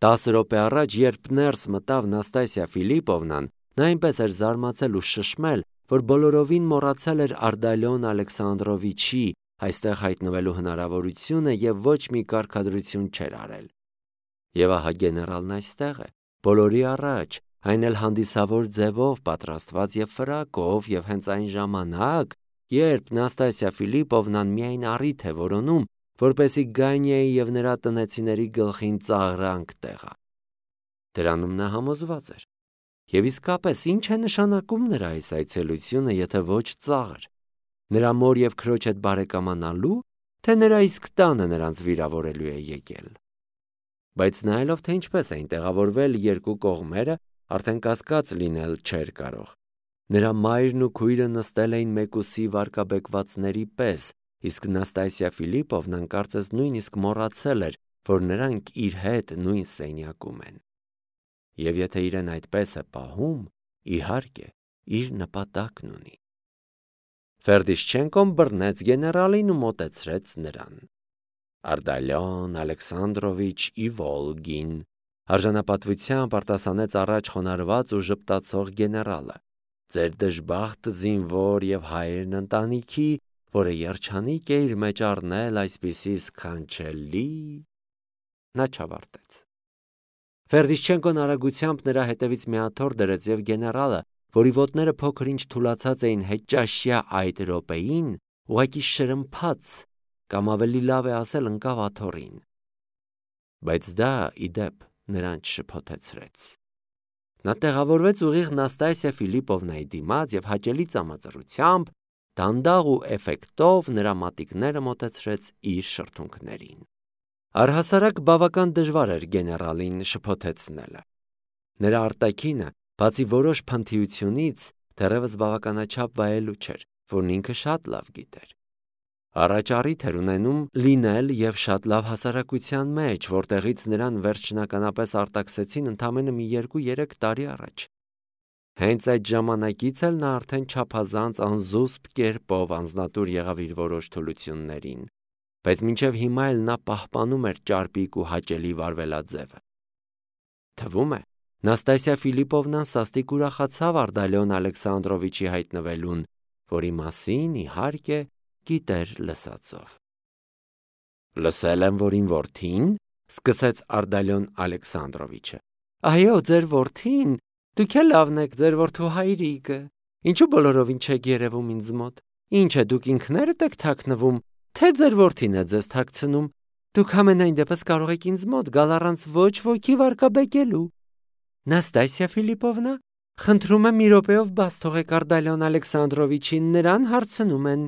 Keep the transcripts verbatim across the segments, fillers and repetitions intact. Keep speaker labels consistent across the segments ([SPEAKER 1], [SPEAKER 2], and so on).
[SPEAKER 1] Տասը րոպե առաջ, երբ ներս մտավ Նաստասիա Ֆիլիպովնան, նա այնպես էր զարմացել ու շշմել, որ բոլորովին մոռացել էր Արտալիոն Ալեքսանդրովիչի այստեղ հայտնվելու հնարավորությունը և ոչ մի կարգադրություն չէր արել։ Եվ ահա գեներալն այստեղ է, բոլորի առաջ, այն էլ հանդիսավոր ձևով պատրաստված և ֆրակով, և հենց այն ժամանակ, երբ Նաստասիա Ֆիլիպովնան միայն առիթ է որոնում, որպեսզի Գանյայի և նրա տնեցիների գլխին ծաղրանք տեղա։ Դրանում նա համոզված էր։ Եվ իսկապես, ինչ է նշանակում նրա այս այցելությունը, եթե ոչ ծաղր։ Նրա մոր և քրոջ հետ բարեկամանալու, թե նրա իսկ տանը նրանց վիրավորելու է եկել։ Բայց նայելով, թե ինչպես էին տեղավորվել երկու կողմերը, արդեն կասկած լինել չէր կարող։ Նրա մայրն ու քույրը նստել էին մեկուսի վարկաբեկվածների պես, իսկ Նաստասիա Ֆիլիպովնան կարծես նույնիսկ մոռացել էր, որ նրանք իր հետ նույն սենյակում են։ Եվ եթե իրեն այդպես է պահում, իհարկե, իր նպատակն ունի։ Ֆերդիշչենկոն բռնեց գեներալին ու մոտեցրեց նրան։ Արտալիոն Ալեքսանդրովիչ Իվոլգին, արժանապատվությամբ արտասանեց առաջ խոնարհված ու ժպտացող գեներալը, ձեր դժբախտ զինվոր և հայրն ընտանիքի, որը երջանիկ է իր մեջ առնել այսպիսի սքանչելի… Նա չավարտեց։ Ֆերդիշչենկոն արագությամբ նրա հետևից մի աթոռ դրեց և գեներալը, որի ոտները փոքր-ինչ թուլացած էին հետճաշյա այդ րոպեին, ուղղակի շրմփաց, կամ ավելի լավ է ասել, ընկավ աթոռին։ Բայց դա, ի դեպ, նրան չշփոթեցրեց։ Նա տեղավորվեց ուղիղ Նաստասիա Ֆիլիպովնայի դիմաց և հաճելի ծամածրությամբ, դանդաղ ու էֆեկտով նրա մատիկները մոտեցրեց իր շրթունքներին։ Առհասարակ բավական դժվար էր գեներալին շփոթեցնելը։ Նրա արտաքինը, բացի որոշ փնթիությունից, դեռևս բավականաչափ վայելուչ էր, որն ինքը շատ լավ գիտեր։ Առաջ առիթ էր ունենում լինել և շատ լավ հասարակության մեջ, որտեղից նրան վերջնականապես արտաքսեցին ընդամենը մի երկու-երեք տարի առաջ։ Հենց այդ ժամանակից էլ նա արդեն չափազանց անզուսպ կերպով անձնատուր եղավ իր որոշ թուլություններին, բայց մինչև հիմա էլ նա պահպանում էր ճարպիկ ու հաճելի վարվելաձևը։ Թվում է, Նաստասիա Ֆիլիպովնան սաստիկ ուրախացավ Արտալիոն Ալեքսանդրովիչի հայտնվելուն, որի մասին, իհարկե, գիտեր լսածով։ Լսել եմ, որ իմ որդին, սկսեց Արտալիոն Ալեքսանդրովիչը։ Այո, ձեր որդին, դուք էլ լավն եք, ձեր որդու հայրիկը, ինչու բոլորովին չեք երևում ինձ մոտ, ինչ է, դուք ինքներդ եք թաքնվում, թե ձեր որդին է ձեզ թաքցնում, դուք ամենայն դեպս կարող եք ինձ մոտ գալ առանց ոչ ոքի վարկաբեկելու։ Նաստասիա Ֆիլիպովնա, խնդրում եմ մի րոպեով բաց թողեք Արտալիոն Ալեքսանդրովիչին, նրան հարցնում են,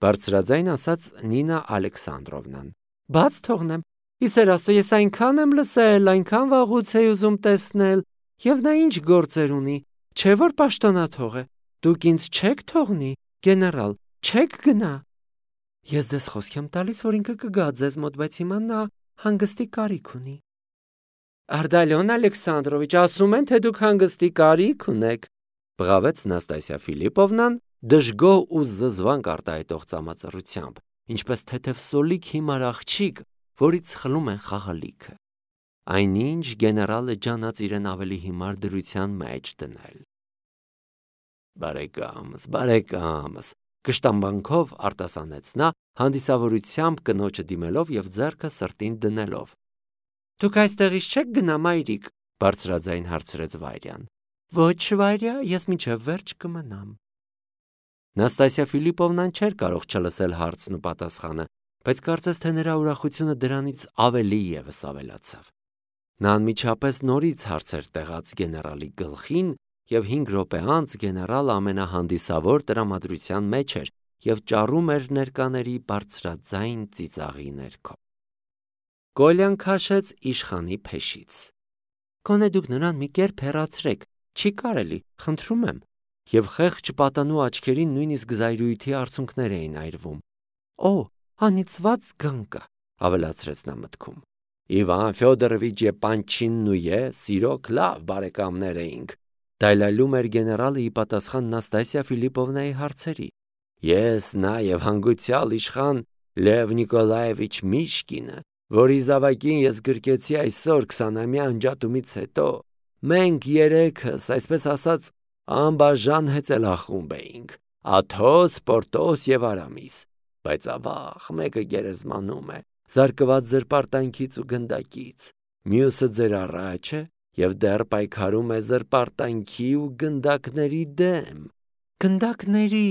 [SPEAKER 1] բարձրաձայն ասաց Նինա Ալեքսանդրովնան։ Բաց թողնեմ, իսեր աստծո, ես այնքան եմ լսել, այնքան վաղուց էի ուզում տեսնել, և նա ինչ գործեր ունի, չէ որ պաշտոնաթող է, դուք ինձ չեք թողնի, գեներալ, չեք գնա։ Ես ձեզ խոսք եմ տալիս, որ ինքը կգա ձեզ մոտ, բայց հիմա նա հանգստի կարիք ունի։ Արտալիոն Ալեքսանդրովիչ, ասում են, թե դուք հանգստի կարիք ունեք, բղավեց Նաստասիա Ֆիլիպովնան դժգոհ ու զզվանք արտահայտող ծամածռությամբ, ինչպես թեթև սոլիկ հիմար աղջիկ, որից խլում են խաղալիքը։ Այնինչ գեներալը ջանաց իրեն ավելի հիմար դրության մեջ դնել։ Բարեկամս, բարեկամս, կշտամբանքով արտասանեց նա, հանդիսավորությամբ կնոջը դիմելով և ձեռքը սրտին դնելով։ Դուք այստեղից չեք գնա, մայրիկ, բարձրաձայն հարցրեց Վայրյան։ Ոչ, Վայրյա, ես մինչև վերջ կմնամ։ Նաստասիա Ֆիլիպովնան չէր կարող չլսել հարցն ու պատասխանը, բայց կարծես թե նրա ուրախությունը դրանից ավելի ևս ավելացավ։ Նա անմիջապես նորից հարցեր տեղաց գեներալի գլխին, և հինգ րոպե անց գեներալը ամենահանդիսավոր տրամադրության մեջ էր և ճառում էր ներկաների բարձրաձայն ծիծաղի ներքո։ Կոլյան քաշեց իշխանի փեշից։ Գոնե դուք նրան մի կերպ հեռացրեք, չի կարելի, խնդրում եմ, և խեղճ պատանու աչքերին նույնիսկ զայրույթի արցունքներ էին այրվում։ Օ, անիծված գանկա, ավելացրեց նա մտքում։ Իվան Ֆյոդորովիչ և Պանչինն ու ես իրոք լավ բարեկամներ էինք, դայլայլում էր գեներալը ի պատասխան Նաստասիա Ֆիլիպովնայի հարցերի։ Ես, նա և հանգուցյալ իշխան Լև Նիկոլաևիչ Միշկինը որի զավակին ես գրկեցի այսօր քսանամյա անջատումից հետո, մենք երեքս, այսպես ասած, անբաժան հեծելախումբ էինք, Աթոս, Պորտոս և Արամիս, բայց ավաղ մեկը գերեզմանում է, զարկված զրպարտանքից ու գնդակից, մյուսը ձեր առաջ է և դեռ պայքարում է զրպարտանքի ու գնդակների դեմ։ Գնդակների,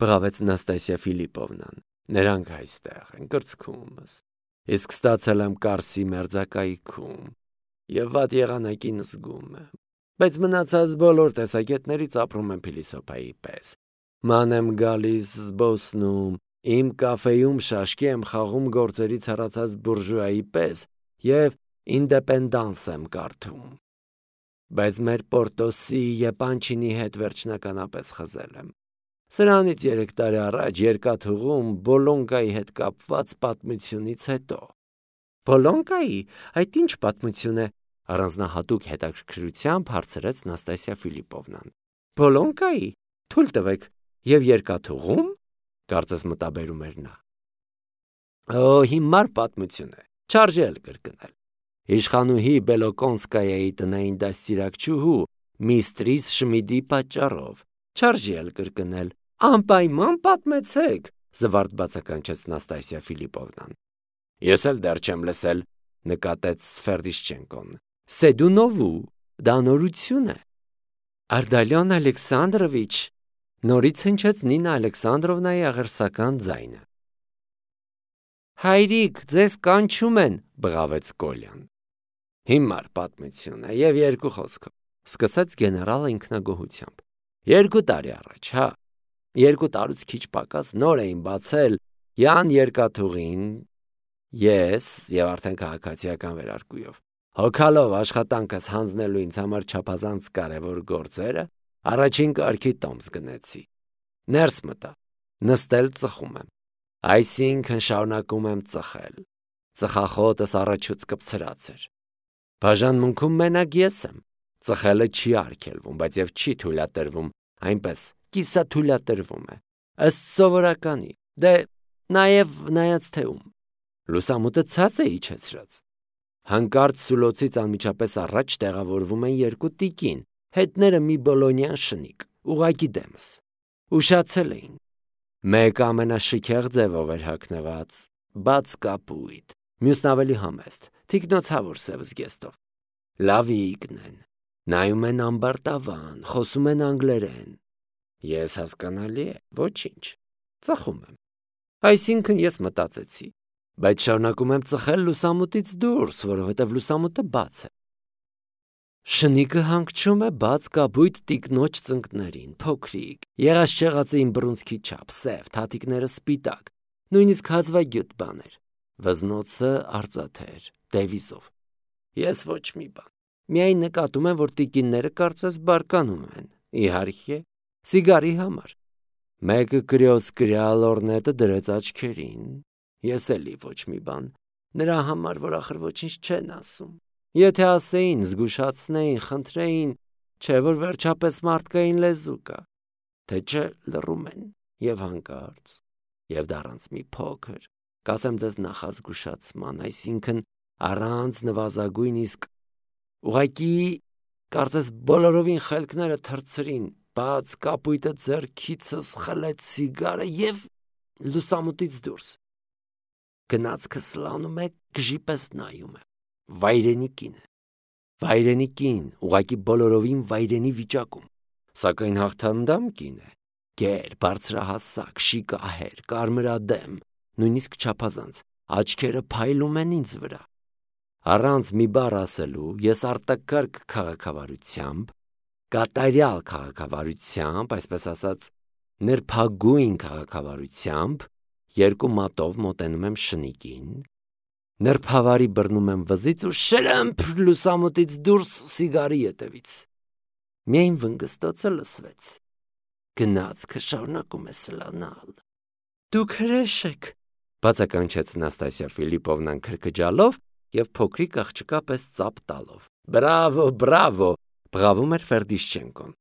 [SPEAKER 1] բղավեց Նաստասիա Ֆիլիպովնան, նրանք այստեղ են կրծքումս, իսկ ստացել եմ Կարսի մերձակայքում և վատ եղանակին զգում եմ, բայց մնացած բոլոր տեսակետներից ապրում եմ փիլիսոփայի պես, ման եմ գալիս զբոսնում, իմ կաֆեում շաշկի եմ խաղում գործերից հեռացած բուրժուայի պես և ինդեպենդանս եմ կարդում, բայց մեր Պորտոսի Եպանչինի հետ վերջնականապես խզել եմ։ Սրանից երեք տարի առաջ երկաթուղում Բոլոնկայի հետ կապված պատմությունից հետո։ Բոլոնկայի, այդ ինչ պատմություն է, առանձնահատուկ հետաքրքրությամբ հարցրեց Նաստասիա Ֆիլիպովնան։ Բոլոնկայի, թույլ տվեք, և երկաթուղում, կարծես մտաբերում էր նա։ Օ, հիմար պատմություն է, չարժե էլ կրկնել։ Իշխանուհի Բելոկոնսկայայի տնային դաստիարակչուհու Միստրիս Շմիդի պատճառով, չարժե էլ կրկնել։ Անպայման պատմեցեք, զվարթ բացականչեց Նաստասիա Ֆիլիպովնան։ Ես էլ դեռ չեմ լսել, նկատեց Ֆերդիշչենկոն։ Սեդունովու, դա նորություն է։ Արդալյոն Ալեքսանդրովիչ, նորից հնչեց Նինա Ալեքսանդրովնայի աղերսական ձայնը։ Հայրիկ, ձեզ կանչում են, բղավեց Կոլյան։ Հիմար պատմություն է և երկու խոսքով, սկսեց գեներալը ինքնագոհությամբ։ Երկու տարի առաջ, հա, երկու տարուց քիչ պակաս նոր էին բացել Յան երկաթուղին, ես և արդեն քաղաքացիական վերարկուով, հոգալով աշխատանքս հանձնելու ինձ համար չափազանց կարևոր գործերը, առաջին կարգի տոմս գնեցի։ Ներս մտա, նստել ծխում եմ, այսինքն շարունակում եմ ծխել, ծխախոտս առաջուց կպցրած էր։ Բաժանմունքում մենակ ես եմ, ծխելը չի արգելվում, բայց և չի թույլատրվում, այնպես կիսաթույլատրվում է, ըստ սովորականի, դե նաև նայած թե ում։ Լուսամուտը ցած է իջեցրած։ Հանկարծ սուլոցից անմիջապես առաջ տեղավորվում են երկու տիկին, հետները մի բոլոնյան շնիկ, ուղղակի դեմս։ Ուշացել էին։ Մեկը ամենաշքեղ ձևով էր հագնված, բաց կապույտ, մյուսն ավելի համեստ, թիկնոցավոր սև զգեստով։ Լավիկն են, նայում են ամբարտավան, խոսում են անգլերեն։ Ես հասկանալի է, ոչինչ, ծխում եմ։ Այսինքն ես մտածեցի, բայց շարունակում եմ ծխել լուսամուտից դուրս, որովհետև լուսամուտը բաց է։ Շնիկը հանգչում է բաց կապույտ տիկնոջ ծնկներին, փոքրիկ, եղած-չեղածը իմ բռունցքի չափ, սև, թաթիկները սպիտակ, նույնիսկ հազվագյուտ բաներ, վզնոցը արծաթեր, դևիզով։ Ես ոչ մի բան, միայն նկատում եմ, որ տիկինները կարծես բարկանում են, իհարկե, սիգարի համար։ Մեկը կրյոս-կրյա լորնետը դրեց աչքերին, ես էլի ոչ մի բան, նրա համար, որ ախր ոչինչ չեն ասում։ Եթե ասեին, զգուշացնեին, խնդրեին, չէ որ վերջապես մարդկային լեզու կա, թե չէ լռում են և հանկարծ, և դառանց մի փոքր, կասեմ ձեզ նախազգուշացման, այսինքն առանց նվազագույն իսկ ուղղակի կարծես բոլորովին խելքները թռցրին, բաց կապույտը ձեռքիցս խլեց սիգարը և լուսամուտից դուրս։ Գնացքը սլանում է, գժի պես նայում է։ Վայրենի կին է։ Վայրենի կին, ուղղակի բոլորովին վայրենի վիճակում, սակայն հաղթանդամ կին է։ Գեր, բարձրահասակ, շիկահեր, կարմրադեմ, նույնիսկ չափազանց, աչքերը փայլում են ինձ վրա։ Առանց մի բառ ասելու ես արտակարգ քաղաքավարությամբ, կատարյալ քաղաքավարությամբ, այսպես ասած, նրբագույն քաղաքավարությամբ, երկու մատով մոտենում եմ շնիկին, նրբավարի բռնում եմ վզից ու շրըմփ լուսամուտից դուրս սիգարի ետևից։ Միայն վնգստոցը լսվեց։ Գնացքը շարունակում է սլանալ։ Դուք հրեշ եք, բացականչեց Նաստասիա Ֆիլիպովնան քրքջալով և փոքրիկ աղջկա պես ծափ տալով։ Բրավո, բրավո, բղավում էր Ֆերդիշչենկոն։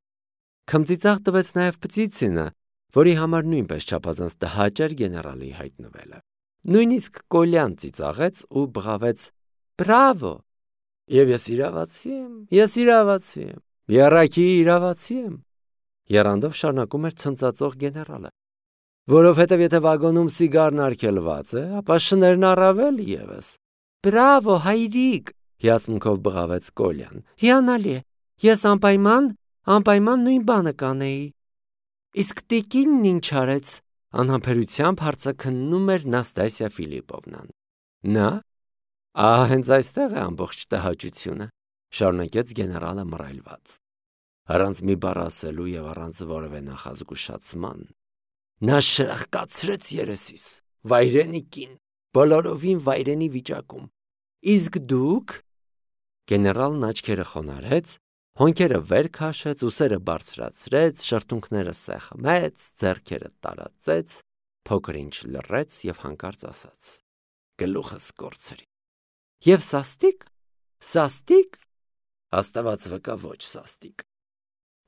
[SPEAKER 1] Քմծիծաղ տվեց նաև Պտիցինը, որի համար նույնպես չափազանց տհաճ էր գեներալի հայտնվելը։ Նույնիսկ Կոլյան ծիծաղեց ու բղավեց. «Բրավո»։ Եվ ես իրավացի եմ, ես իրավացի եմ, եռաքի իրավացի եմ, եռանդով շարունակում էր ցնծածող գեներալը։ Որովհետև եթե վագոնում սիգարն արգելված է, ապա շներն առավել ևս։ Բրավո, հայրիկ, հիացմունքով բղավեց Կոլյան։ Հիանալի է, ես անպայման, անպայման նույն բանը կանեի։ Իսկ տիկինն ինչ արեց, անհամբերությամբ հարցաքննում էր Նաստասիա Ֆիլիպովնան։ Նա, ահա հենց այստեղ է ամբողջ տհաճությունը, շարունակեց գեներալը մռայլված։ Առանց մի բառ ասելու եւ առանց որևէ նախազգուշացման նա շրխկացրեց երեսիս, վայրենի կին, բոլորովին վայրենի վիճակում։ Իսկ դուք, գեներալն աչքերը խոնարհեց, հոնքերը վեր քաշեց, ուսերը բարձրացրեց, շրթունքները սեղմեց, ձեռքերը տարածեց, փոքր ինչ լռեց եւ հանկարծ ասաց. Գլուխս կորցրի։ Եվ սաստիկ, սաստիկ, աստված վկա, ոչ սաստիկ։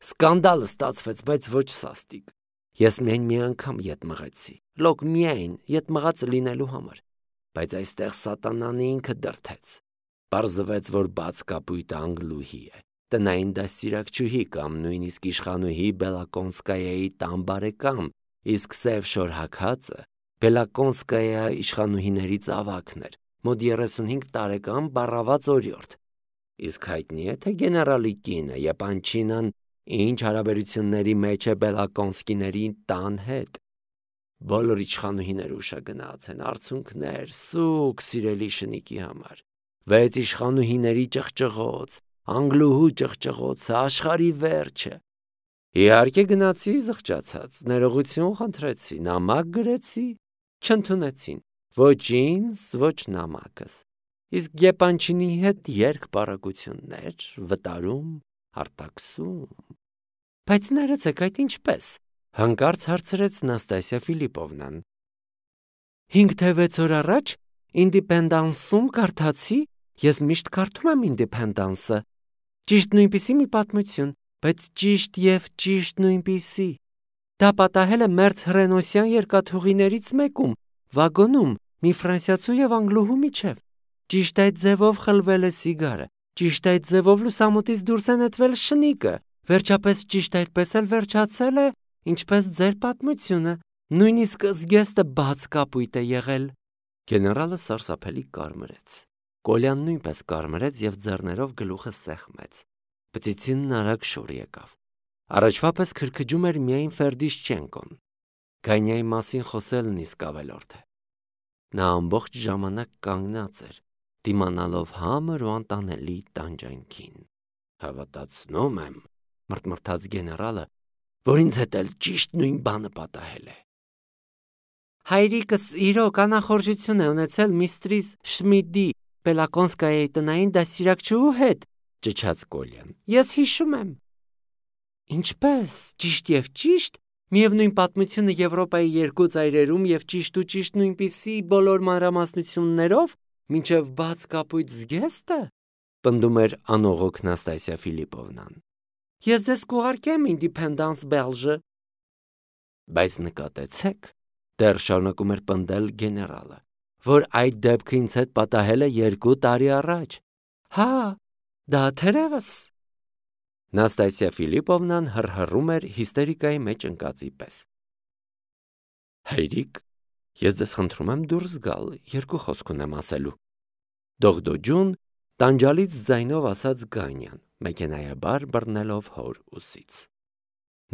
[SPEAKER 1] Սկանդալը ստացվեց, բայց ոչ սաստիկ։ Ես միայն մի անգամ ետ մղեցի, լոկ միայն ետ մղածը լինելու համար, բայց այստեղ սատանան ինքը դրթեց։ Պարզվեց, որ բաց կապույտը անգլուհի է, տնային դաստիարակչուհի կամ նույնիսկ իշխանուհի Բելակոնսկայայի տան բարեկամ, իսկ սև շորհաքածը Բելակոնսկայա իշխանուհիներից ավագն էր, մոտ երեսունհինգ տարեկան բառաված օրիորդ։ Իսկ հայտնի է, թե գեներալի կինը Եպանչինան ինչ հարաբերությունների մեջ է Բելակոնսկիների տան հետ։ Բոլոր իշխանուհիներ ուշագնաց են, արցունքներ, սուկ սիրելի շնիկի համար։ Վեց իշխանուհիների ճղճղոց, անգլուհու ճղճղոցը, աշխարհի վերջը։ Իհարկե գնացի զղջացած, ներողություն խնդրեցի, նամակ գրեցի, չընդունեցին, ոչ ինձ, ոչ նամակս։ Իսկ Եպանչինի հետ երկբարակություններ, վտարում, արտաքսում։ Բայց ներեցեք, այդ ինչպես, հանկարծ հարցրեց Նաստասիա Ֆիլիպովնան։ Հինգ թե վեց օր առաջ Ինդիպենդանսում կարդացի, ես միշտ կարդում եմ Ինդիպենդանսը, ճիշտ նույնպիսի մի պատմություն, բայց ճիշտ և ճիշտ նույնպիսի։ Դա պատահել է մերձ հռենոսյան երկաթուղիներից մեկում, վագոնում, մի ֆրանսիացու և անգլուհու միջև։ Ճիշտ այդ ձևով խլվել է սիգարը, ճիշտ այդ ձևով լուսամուտից դուրս է նետվել շնիկը, վերջապես ճիշտ այդպես էլ վերջացել է, ինչպես ձեր պատմությունը, նույնիսկ զգեստը բաց կապույտ է եղել։ Գեներալը սարսափելի կարմրեց։ Կոլյան նույնպես կարմրեց և ձեռներով գլուխը սեղմեց։ Պծիցինն արագ շուռ եկավ։ Առաջվա պես քրքջում էր միայն Ֆերդիշչենկոն։ Գանյայի մասին խոսելն իսկ ավելորդ է։ Նա ամբողջ ժամանակ կանգնած էր, դիմանալով համր ու անտանելի տանջանքին։ Հավատացնում եմ, մռթմռթաց գեներալը, որ ինձ հետ էլ ճիշտ նույն բանը պատահել է։ Հայրիկս իրոք անախորժություն է ունեցել միստրիս Շմիդի Բելակոնսկայայի տնային դաստիարակչուհու հետ, ճչաց Կոլյան։ Ես հիշում եմ։ Ինչպես, ճիշտ և ճիշտ, միևնույն պատմությունը Եվրոպայի երկու ծայրերում և ճիշտ ու ճիշտ նույնպիսի բոլոր մանրամասնություններով, մինչև բաց կապույտ զգեստը, պնդում էր անողոք Նաստասիա Ֆիլիպովնան։ Ես ձեզ կուղարկեմ Ինդիպենդանս Բելժը։ Բայց նկատեցեք, դեռ շարունակում էր պնդել գեներալը, որ այդ դեպքը ինձ հետ պատահել է երկու տարի առաջ։ Հա, դա թերևս։ Նաստասիա Ֆիլիպովնան հռհռում էր հիստերիկայի մեջ ընկածի պես։ Հայրիկ, ես ձեզ խնդրում եմ դուրս գալ, երկու խոսք ունեմ ասելու։ Դողդոջուն, տանջալից ձայնով ասաց Գանյան, մեքենայաբար բռնելով հոր ուսից։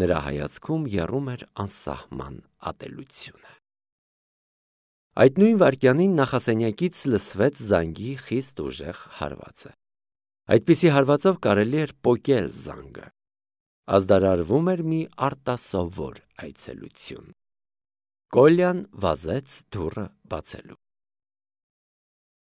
[SPEAKER 1] Նրա հայացքում եռում էր անսահման ատելությունը։ Այդ նույն վայրկյանին նախասենյակից լսվեց զանգի խիստ ուժեղ հարվածը։ Այդպիսի հարվածով կարելի էր պոկել զանգը։ Ազդարարվում էր մի արտասովոր այցելություն։ Կոլյան վազեց դուռը բացելու։